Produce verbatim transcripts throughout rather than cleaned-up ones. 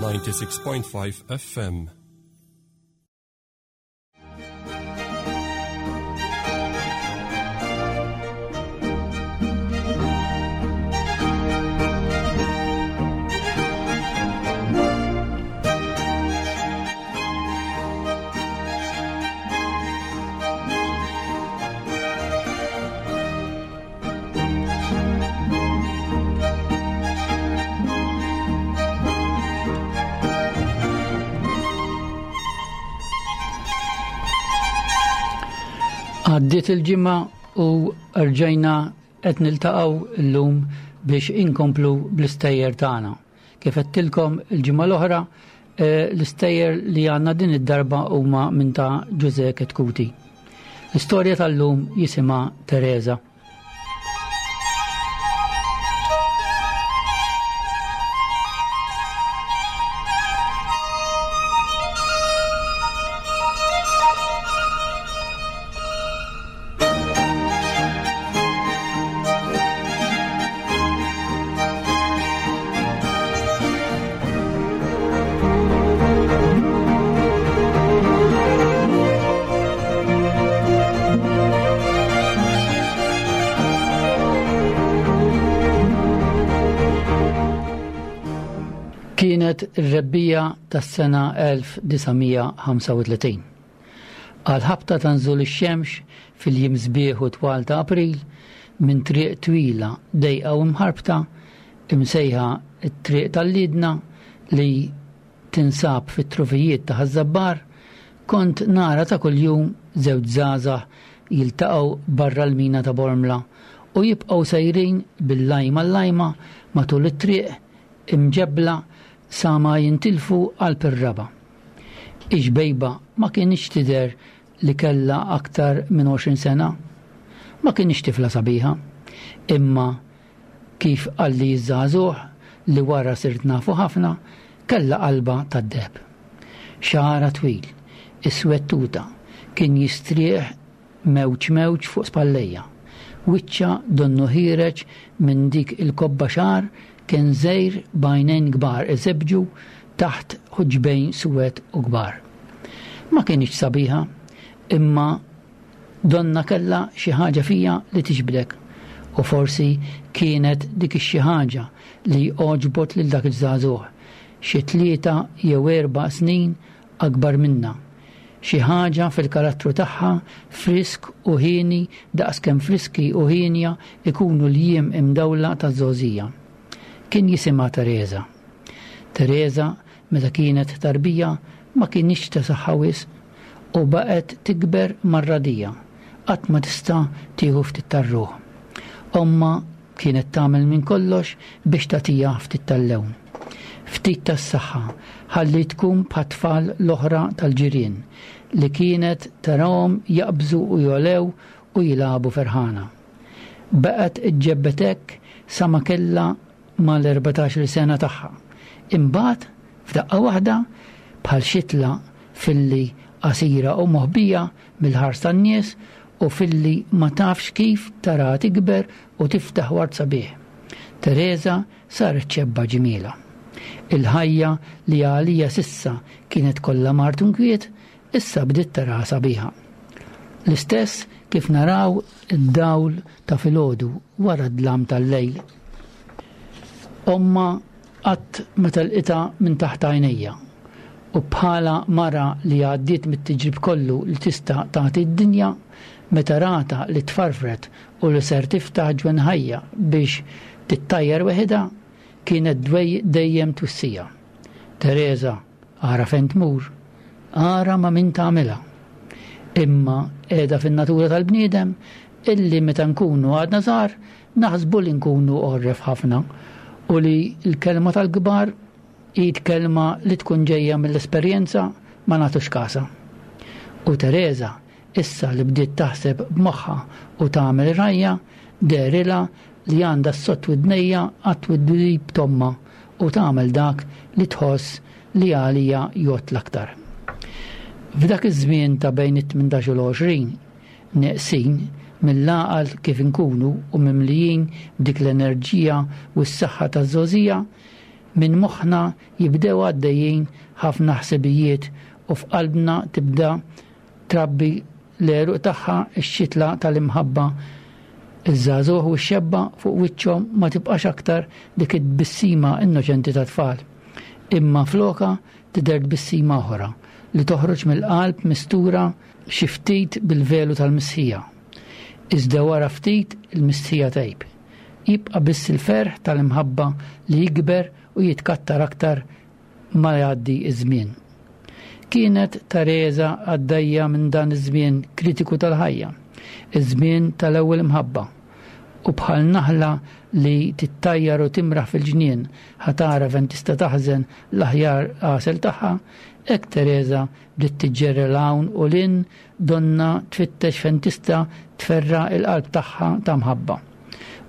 ninety-six point five F M. Għaddiet il-ġimgħa u rġajna qed niltaqgħu llum biex inkomplu bl-istejjer tagħna. Kif għedtilkom il-ġimgħa l-oħra, eh, l-istejjer li għandna din id-darba huma minn ta' Ġużè Chetcuti. L-istorja tal-lum jisimha Teresa. Kienet ir-rebbija tas-sena elf disa' mija ħamsa u tletin. Għal-ħabta ta' nżul ix-xemx fil-jiem sbieħ u twal ta' April, minn triq twila dejqa u mħarbta, imsejħa t-triq tal-Lidna li tinsab fit-trufijiet ta' Ħaż-Żabbar, kont nara ta' kuljum żewġ żgħażagħ jiltaqgħu barra l-mina ta' Bormla u jibqgħu sejrin bil-lajma l-lajma matul it-triq imġebbla sa ma jintilfu qalb ir-raba. Ix-xbejba ma kienx tidher li kellha aktar minn għoxrin sena. Ma kienx tifla sabiħa, imma kif qalli ż-żagħżugħ li wara sirt nafu ħafna, kellha qalba tad-deheb. Xagħarha twil, iswed tuta, kien jistrieħ mewġ mewġ fuq spallejja. Wiċċa donnu ħiereġ minn dik il-kobba xagħar kien żgħir b'għajnejn kbar iżebġu taħt ħuġbejn suwed u kbar. Ma kienx sabiħa, imma donna kellha xi ħaġa fija li tixbdek, u forsi kienet dik ix-xi ħaġa li għoġbot lil dak iż-żagħżugħ, xi tlieta jew erba' snin akbar minna. Xi ħaġa fil-karattru tagħha frisk u ħieni daqskemm friski u ħienja ikunu l-jiem imdawla taż-żgħożija. Kien jisimha Teresa. Teresa meta kienet tarbija ma kienx ta' saħħa wisq u baqgħet tikber mar-radija, qatt ma tista' tieħu ftit tar-ruħ. Omma kienet tagħmel minn kollox biex tagħtiha ftit tal-lewn, ftit tas-saħħa, ħalli tkun bħat-tfal l-oħra tal-ġirien li kienet tarahom jaqbżu u jolew u jilagħbu ferħana. Baqgħet iġġebbet hekk sa ma kellha mal-erbatax-il sena tagħha. Imbagħad f'daqqa waħda bħal xitla filli qasira u moħbija mill-ħars tan-nies u filli ma tafx kif tara tikber u tiftaħ ward sabiħ. Teresa saret ċebba ġmiela. Il-ħajja li għalija sissa kienet kollha mart u nkwiet, issa bdiet taraha sabiħa. L-istess kif naraw id-dawl ta' filgħodu wara d-dlam tal-lejl. Omma qatt ma telqitha minn taħt għajnejja u bħala mara li għaddiet mit-tiġrib kollu li tista' tagħti d-dinja, meta rata li tfarfret u li ser tiftaħ ġwenħajja biex tittajjar weħidha, kienet dwej dejjem twissija. Teresa, ara fejn tmur, ara ma' min tagħmilha. Imma qiegħda fin-natura tal-bniedem illi meta nkunu għadna żgħar naħsbu li nkunu għorref ħafna u li l-kelma tal-kbar hi kelma li tkun ġejja mill-esperjenza ma nagħtux kasha. U Teresa, issa li bdiet taħseb b'moħħha u tagħmel rajja, dehrilha li għandha s-sott widnejja għat-twidwib tomma u tagħmel dak li tħoss li għalija jgħod l-aktar. F'dak iż-żmien ta' bejn it-tmintax u l-għoxrin, neqsin mill-għaqal kif inkunu u mimlijin b'dik l-enerġija u s-saħħa taż-żgħożija, Minn moħħna jibdew għaddejjin ħafna ħsibijiet u f'qalbna tibda trabbi l-għeruq tagħha x-xitla tal-imħabba. Iż-żagħżugħ u x-xebba fuq wiċċhom ma tibqax aktar dik it-tbissima innoċenti ta' tfal. Imma floka tidher tbissima oħra li toħroġ mill-qalb mistura xi ftit bil-velu tal-mistħija. Iżda wara ftit il-mistħija tgħib. Jibqa' biss il-ferħ tal-imħabba li jikber u jitkattar aktar ma jgħaddi iż-żmien. Kienet Tereża għaddejja minn dan iż-żmien kritiku tal-ħajja, iż-żmien tal-ewwel imħabba. U bħal naħla li tittajjar u timraħ fil-ġnien ħa tara fejn tista' taħżen l-aħjar għasel tagħha, hekk Tereża bdiet tiġġerra 'l hawn u 'l hinn donnha tfittex fejn tista' tferra' l-qalb tagħha ta' mħabba.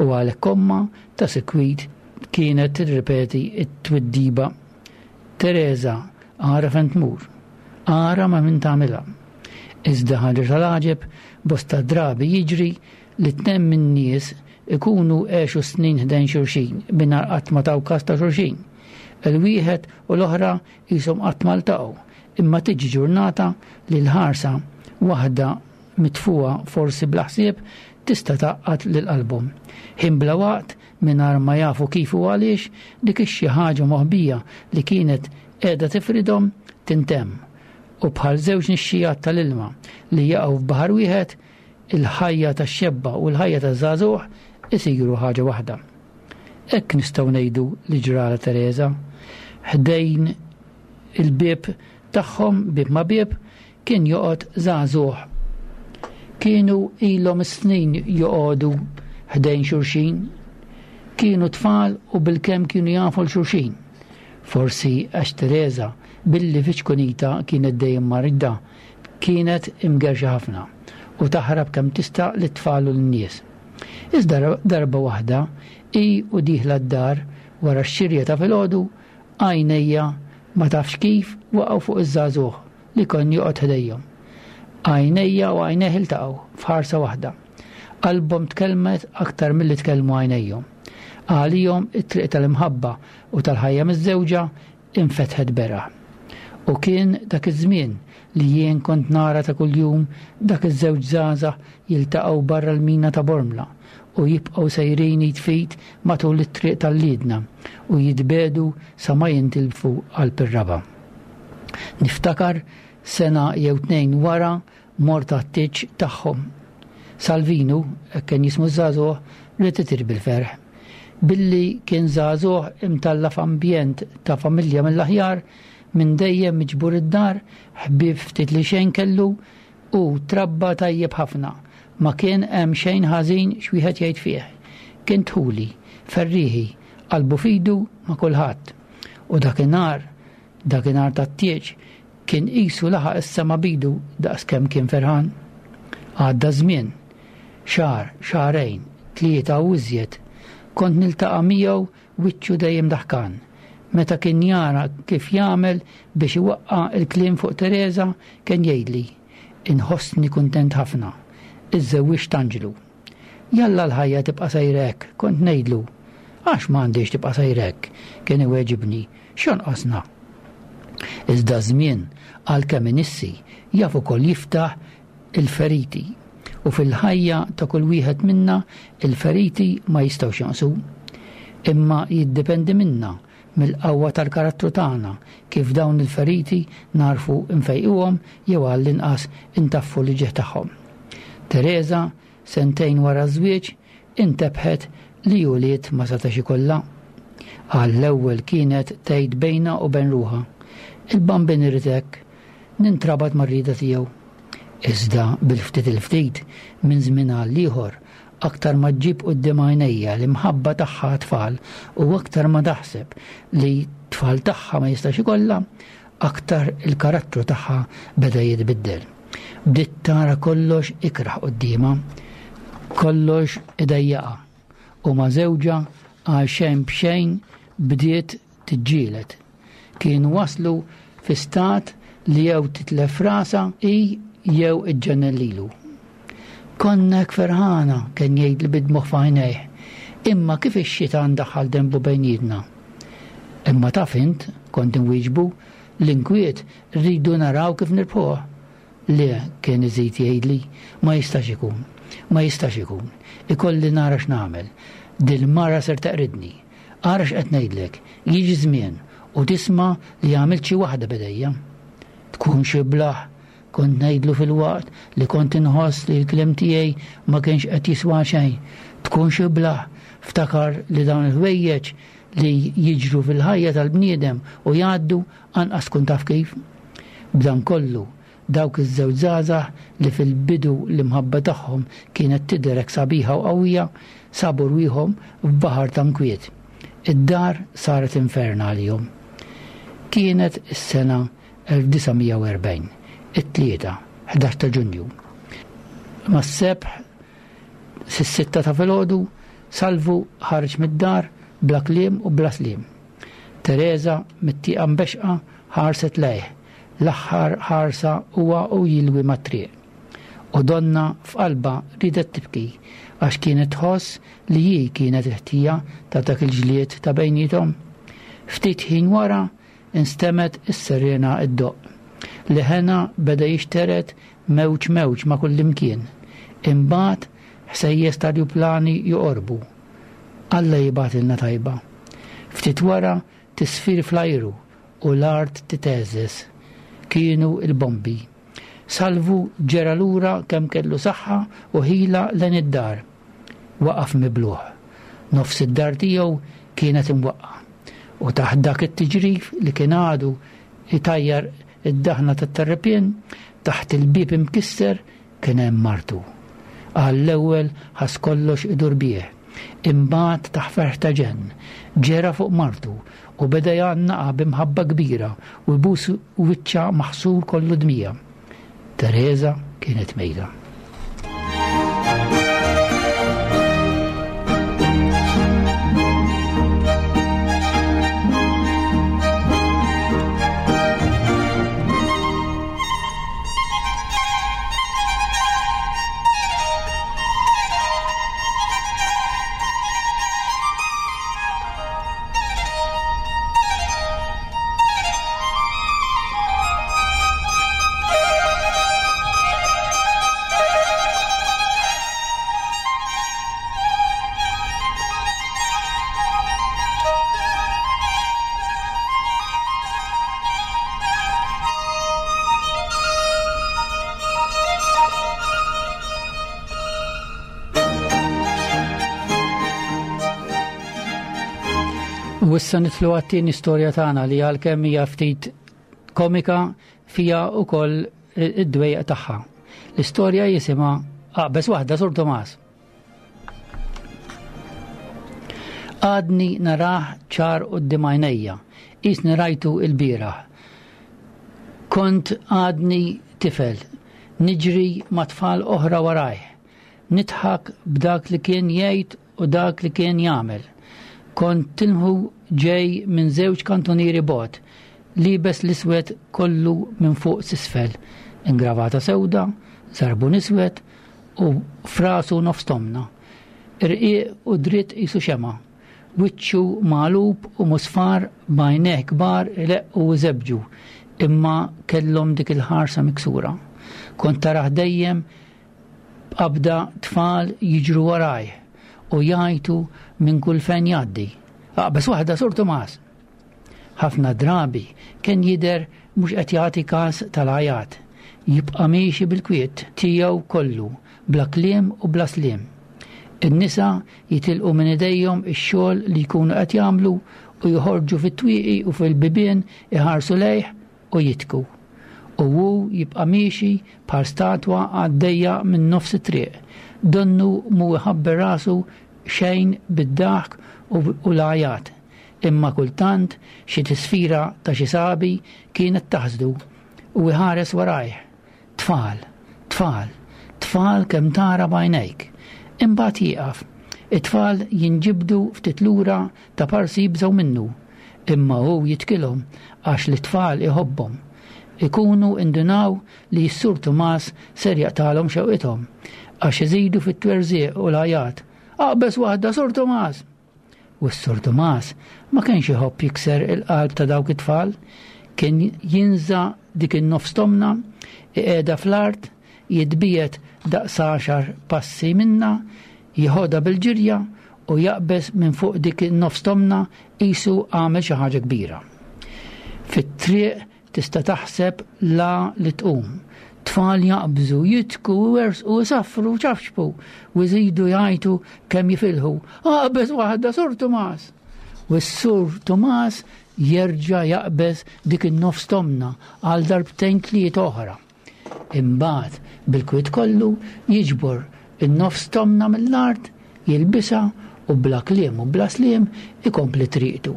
U għalhekk ommha ta' sikwit kienet tirripeti t-twiddiba. Tereża, ara fejn tmur, ara ma' min tagħmilha. Iżda ħaġa tal-għaġeb, bosta drabi jiġri li tnejn min-nies ikunu għexu snin ħdejn xulxin mingħajr qatt ma taw kas ta' xulxin. Il-wieħed u l-oħra qishom qatt ma ltaqgħu, imma tiġi ġurnata li l-ħarsa waħda mitfugħa forsi bla ħsieb tista' tgħaqqad lil qalbhom. Ħin bla waqt mingħajr ma jafu kif u għaliex dik ix-xi ħaġa moħbija li kienet qiegħda tifridhom tintemm. U bħal żewġ nixxijat tal-ilma li jaqgħu f'baħar wieħed, il-ħajja tax-xebba u l-ħajja taż-żagħżugħ isiru ħaġa waħda. Hekk nistgħu ngħidu li ġrala Tereża. Ħdejn il-bieb tagħhom, bieb ma' bieb, kien joqgħod żagħżugħ. Kienu ilhom snin joqogħdu ħdejn xulxin. Kienu tfal u bilkemm kienu jafu 'l xulxin. Forsi għax Tereża, billi fi ċkunita kienet dejjem marida, kienet imgerxa ħafna u taħrab kemm tista' lit-tfal u lin-nies. Iżda darba waħda, hi u dieħla d-dar wara x-xirja ta' filgħodu, għajnejja ma tafx kif waqgħu fuq iż-żagħżugħ li kien joqgħod ħdejhom. Għajnejja u għajnejh iltaqgħu f'ħarsa waħda. Qalbhom tkellmet aktar milli tkellmu għajnejhom. Għalihom it-triq tal-imħabba u tal-ħajja miż-żewġa infetħet beraħ. U kien dak iż-żmien li jien kont nara ta' kuljum dak iż-żewġ żgħażagħ jiltaqgħu barra l-mina ta' Bormla u jibqgħu sejrin jitfit matul it-triq tal-Liedna u jitbedu sa ma jintilfu qalb ir-raba'. Niftakar sena jew tnejn wara mort għat-tieġ tagħhom. Salvinu, hekk kien jismu ż-żagħżugħ, ried itir bil-ferħ. Billi kien żagħżugħ imtalla' f'ambjent ta' familja mill-aħjar, minn dejjem miġbur id-dar, ħbieb ftit li xejn kellu u trabba tajjeb ħafna. Ma kien hemm xejn ħażin x'wieħed jgħid fih. Kien dħuli, ferrieħi, qalbu f'idu ma' kulħadd. U dakinhar, dakinhar tat-tieġ, kien qisu laħaq is-sema b'idu daqskemm kien ferħan. Għadda żmien, xahar, xahrejn, tlieta u iżjed. Kont niltaqa' miegħu wiċċu dejjem daħkan. Meta kien jara kif jagħmel biex iwaqqa' l-kliem fuq Tereża, kien jgħidli, Inħossni kuntent ħafna. Iżżewwiġt anġlu. Jalla l-ħajja tibqa' sejra hekk, kont ngħidlu. Għax ma għandhiex tibqa' sejra hekk, kien iweġibni, x'jonqosna? Iżda ż-żmien, għalkemm inissi, jaf ukoll jiftaħ il-feriti. U fil-ħajja ta' kull wieħed minna il-feriti ma jistgħux jonqsu. Imma jiddependi minna, mill-qawwa tal-karattru tagħna, kif dawn il-feriti nagħrfu nfejquhom jew għall-inqas intaffu l-ġieħ tagħhom. Tereża, sentejn wara ż-żwieġ, intebħet li ulied ma setax ikollha. Għall-ewwel kienet tgħid bejnha u bejn ruħha, Il-Bambin irid hekk, nintrabat mar-rieda tiegħu. Iżda bil-ftit il-ftit, minn żmien għal ieħor, aktar ma ġġib quddiem għajnejja l-imħabba tagħha għat-tfal u aktar ma taħseb li t-tfal tagħha ma jistax ikollha, aktar il-karattru tagħha beda jitbiddel. Bdiet tara kollox ikrah quddiemha, kollox idejjaqha, u ma' żewġha għal xejn b'xejn bdiet tiġġieled. Kienu waslu fi stat li jew titlef rasha hi jew iġġennen lilu. Konna hekk ferħana, kien jgħidli bid-dmugħ f'għajnejh, imma kif ix-xitan daħħal denbu bejnietna. Imma taf int, kont inwieġbu, l-inkwiet rridu naraw kif nirbħuh. Le, kien iżid jgħidli, ma jistax ikun, ma jistax ikun. Ikolli nara x'nagħmel. Dil-mara ser teqridni. Ara x'qed ngħidlek, jiġi żmien u tisma' li għamilt xi waħda b'idejja. Tkun xi blah, kont ngħidlu filwaqt li kont inħoss li l-kliem tiegħi ma kienx qed jiswa xejn. Tkun xi blah, ftakar li dawn il-ħwejjeġ li jiġru fil-ħajja tal-bniedem u jgħaddu anqas tkun taf kif. B'dan kollu, dawk iż-żewġ żgħażagħ li fil-bidu l-imħabba tagħhom kienet tidher hekk sabiħa u qawwija, sabu rwieħhom f'baħar ta' nkwiet. Id-dar saret infern għalihom. Kienet is-sena elf disa' mija u erbgħin, it-tlieta, ħdax ta' Ġunju. Mas-sebħ, sis-sitta ta' filgħodu, Salvu ħareġ mid-dar bla kliem u bla sliem. Teresa mit-tieqa mbexqa ħarset lejh, l-aħħar ħarsa huwa u jilwi mat-triq. U donna f'qalba ridet tibki għax kienet tħoss li hi kienet il-ħtija ta' dak il-ġlied ta' bejniethom. Ftit ħin wara instemmet is-sirena iddoqq. Leħena beda jixteret mewġ mewġ ma' kullimkien. Imbagħad ħsejjes ta' rjuplani joqorbu. Alla jibgħatilna tajba. Ftit wara tisfir fl-ajru u l-art titeżżeż. Kienu il-bombi. Salvu ġera lura kemm kellu saħħa u ħila lejn id-dar. Waqaf mibluħ. Nofs id-dar tiegħu kienet imwaqqa. U taħt dak it-tiġrif li kien għadu itajjar id-daħna tat-terrepien, taħt il-bieb imkisser kien hemm martu. Għall-ewwel ħass kollox idur bih. Imbagħad taħ ferħ ta' ġenn, ġera fuq martu u beda jgħannaqa b'imħabba kbira u jbus wiċċha maħsur kollu dmija. Teresa kienet mejta. U issa nitlu għat-tieni storja tagħna li għalkemm hija ftit komika fija wkoll id-dwejjaq tagħha. L-istorja jisimha Aqbeż Waħda Sur Tomas. Għadni narah ċar quddiem għajnejja, qisni rajtu l-bieraħ. Kont għadni tifel, niġri ma' tfal oħra warajh, nidħak b'dak li kien jgħid u dak li kien jagħmel. Kont tilmħu ġej minn żewġ kantunieri bot, libes l-iswed kollu minn fuq s'isfel, ingravata sewda, żarbun iswed u frasu nofs tomna. Irqiq u dritt qisu xema, wiċċu magħlub u musfar b'għajnejh kbar ileqqu u żebġu, imma kellhom dik il-ħarsa miksura. Kont tarah dejjem b'qabda tfal jiġru warajh u jgħajtu minn kull fejn jgħaddi. Aqbeż waħda Sur Tomas. Ħafna drabi kien jidher mhux qed jagħti każ tal-għajat, jibqa' miexi bil-kwiet tiegħu kollu, bla kliem u bla sliem. In-nisa jitilqu minn idejhom ix-xogħol li jkunu qed jagħmlu u joħorġu fit-twieqi u fil-bibien iħarsu lejh u jitku. U hu jibqa' miexi bħal statwa għaddejja minn nofs it-triq, donnu mhu iħabber rasu xejn bid-daħk u, u l-għajat. Imma kultant xi tisfira ta' xi sabi kienet taħsdu u iħares warajh. Tfal, tfal, tfal kemm tara b'għajnejk. Imbagħad jieqaf. It-tfal jinġibdu ftit lura ta' parsi jibżgħu minnu. Imma hu jitkilhom għax l-tfal iħobbhom. Ikunu indunaw li s-Sur Tomas ser jaqtalhom xewqithom għax iżidu fit-twerżieq u l-għajat. Aqbeż waħda, Sur Tomas! U s-Sur Tumas ma kienx iħobb jikser il-qalb ta' dawk it-tfal, kien jinża' dik in-nofs tomna, iqiegħda fl-art, jitbiegħed daqs għaxar passi minnha, jieħodha bil-ġirja u jaqbeż minn fuq dik in-nofs tomna qisu għamel xi ħaġa kbira. Fit-triq tista' taħseb la li tqum. Tfal jaqbżu, jidħku, iwerżqu, isaffru, ċafċfu u jżidu jgħajtu kemm jifilħu. Aqbeż waħda, Sur Tumas! U s-Sur Tumas jerġa' jaqbeż dik in-nofs tomna għal darbtejn tliet oħra. Imbagħad bil-kwiet kollu jiġbor in-nofs tomna mill-art, jilbisha u bla kliem u bla sliem ikompli triqtu.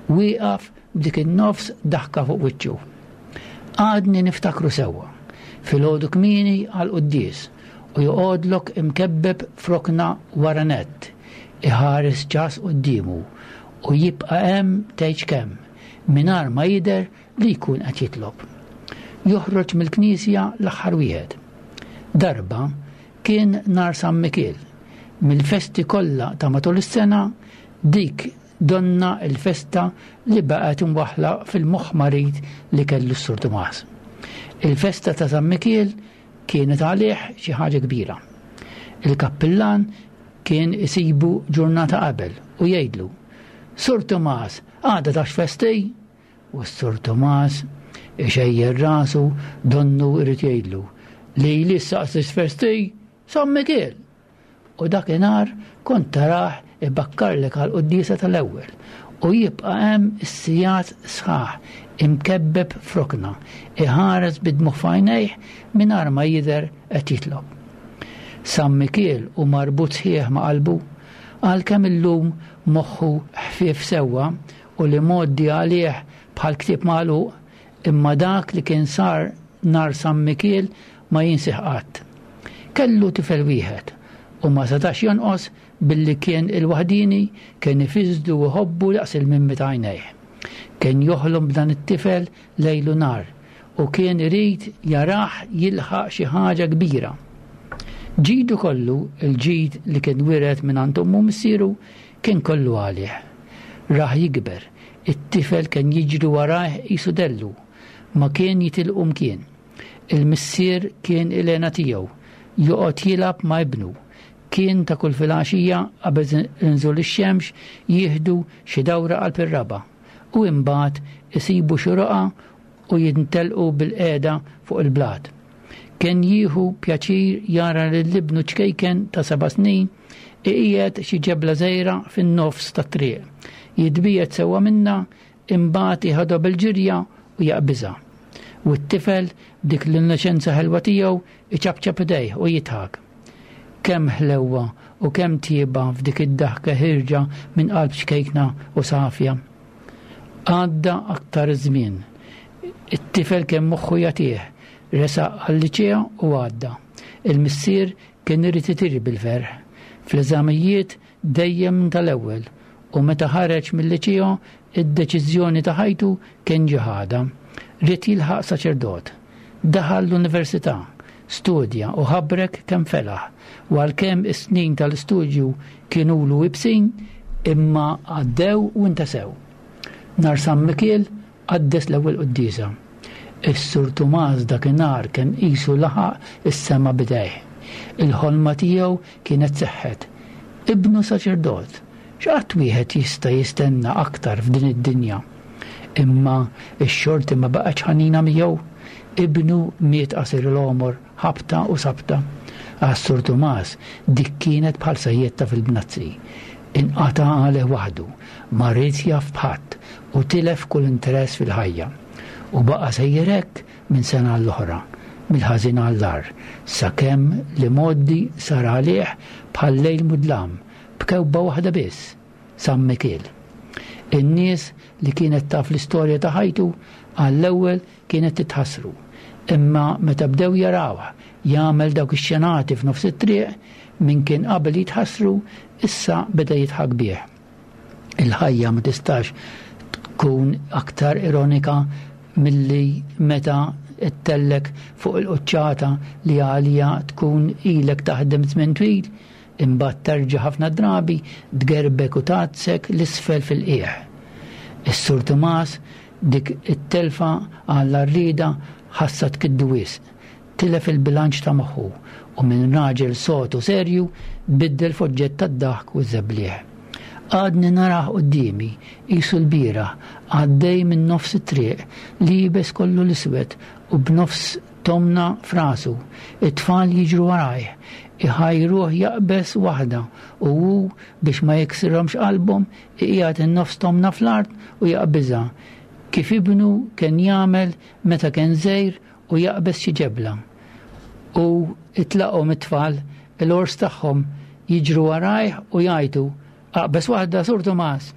Wieqaf b'dik in-nofs daħka fuq wiċċu. Għadni niftakru sewwa. Filgħodu kmieni għall-quddies u joqgħodlok imkebbeb f'rokna wara nett, iħares ċas quddiemu u jibqa' hemm tgħidx kemm, mingħajr ma jidher li jkun qed jitlob. Joħroġ mill-knisja l-aħħar wieħed. Darba kien nhar San Mikiel. Mill-festi kollha ta' matul is-sena, dik donna l-festa li baqgħet imwaħħla fil-moħħ marid li kellu s-Sur Tumas. Il-festa ta' San Mikiel kienet għalih xi ħaġa kbira. Il-kappillan kien isibu ġurnata qabel u jgħidlu, Sur Tumas, għada taf x'festi? U s-Sur Tumas ixejjer rasu donnu irid jgħidlu li li saqsi x'festi? San Mikiel. U dakinhar kont tarah ibakkarlek għal quddiesa tal-ewwel u jibqa' hemm is-sigħat sħaħ imkebbeb f'rokna, iħares bid-dmugħ f'għajnejh mingħajr ma jidher qed jitlob. San Mikiel hu marbut sħiħ ma' qalbu, għalkemm illum moħħu ħfief sewwa u li mgħoddi għalih bħal ktieb magħluq, imma dak li kien sar nhar San Mikiel ma jinsih qatt. Kellu tifel wieħed u ma setax jonqos billi kien il-waħdini kien ifisdu u jħobbu daqs il-mimmi ta' għajnejh. Kien joħlom b'dan it-tifel lejl u nhar u kien irid jarah jilħaq xi ħaġa kbira. Ġidu kollu, il-ġid li kien wiret minn għand ommu missieru, kien kollu għalih. Rah jikber, it-tifel kien jiġri warajh qisu dellu, ma kien jitilqu mkien. Il-missier kien il-hena tiegħu, joqgħod jilgħab ma' ibnu. Kien ta' kull filgħaxija qabel inżul ix-xemx jieħdu xi dawra qalb ir-raba' u imbagħad isibu xi roqgħa u jintelqu bil-qiegħda fuq il-blat. Kien jieħu pjaċir jara lil ibnu ċkejken ta' seba' snin iqiegħed xi ġebla żgħira fin-nofs tat-triq. Jitbiegħed sewwa minnha, imbagħad jieħodha bil-ġirja u jaqbiżha. U t-tifel b'dik l-innoċenza ħelwa tiegħu iċapċap idejh u jidħak. Kemm ħlewwa u kemm tjieba f'dik id-daħka ħirġa minn qalb ċkejkna u safja. Għadda aktar żmien. It-tifel kemm moħħu jagħtih, resaq għal-liċea u għadda. Il-missier kien irid itir bil-ferħ. Fl-eżamijiet dejjem tal-ewwel u meta ħareġ mill-liċeo id-deċiżjoni ta' ħajtu kien ġiħada. Ried jilħaq saċerdot. Daħal l-università, studja u ħabrek kemm felaħ, u għalkemm is-snin tal-istudju kienulu ibsin, imma għaddew u ntesew. Nhar San Mikiel qaddes l-ewwel quddiesa. Is-Sur Tumas dakinhar kien qisu laħaq is-sema b'idejh. Il-ħolma tiegħu kienet seħħet. Ibnu saċerdot, x'qatt wieħed jista' jistenna aktar f'din id-dinja? Imma x-xorti ma baqgħetx ħanina miegħu. Ibnu miet qasir l-għomor, ħabta u sabta. Għas-Sur Tumas dik kienet bħal sajjetta fil-bnazzi. Inqata' għalih waħdu, ma ried jaf b'ħadd u tilef kull interess fil-ħajja. U baqa' sejjer hekk minn sena għall-oħra, mill-ħażin għall-agħar, sakemm li mgħoddi sar għalih bħal lejl mudlam, b'kewba waħda biss, San Mikiel. In-nies li kienet taf l-istorja ta' ħajtu għall-ewwel kienet titħassru, imma meta bdew jarawh jagħmel dawk ix-xenati f'nofs it-triq, min kien qabel jitħassru issa beda jidħak bih. Il-ħajja ma tistax tkun aktar ironika milli meta ttellek fuq il-quċċata li għalija tkun ilek taħdem żmien twil, Imbagħad terġa' ħafna drabi tgerbek u tgħadsek l-isfel fil-qiegħ. Is-Sur Tumas dik it-telfa għall-arrieda ħassa tkiddu wisq. Tilef il-bilanċ ta' moħħu u minn raġel sod u serju biddel f'oġġett tad-daħk u ż-żebliħ. Għadni narah quddiemi, qisu l-bieraħ, għaddej minn nofs it-triq, liebes kollu l-iswed u b'nofs tomna f'rasu. It-tfal jiġru warajh, iħajruh jaqbeż waħda u hu biex ma jiksirhomx qalbhom iqiegħed in-nofs tomna fl-art u jaqbiżha, kif ibnu kien jagħmel meta kien żgħir u jaqbeż xi ġebla. U itlaqhom it-tfal, il-ors tagħhom jiġru warajh u jgħajtu, aqbeż waħda, Sur Tumas.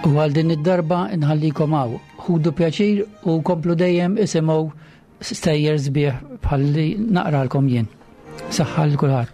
U għal din id-darba nħallikom hawn. Ħudu pjaċir u komplu dejjem isimgħu stejjer sbieħ bħalli naqralkom jien. Saħħa lil kulħadd.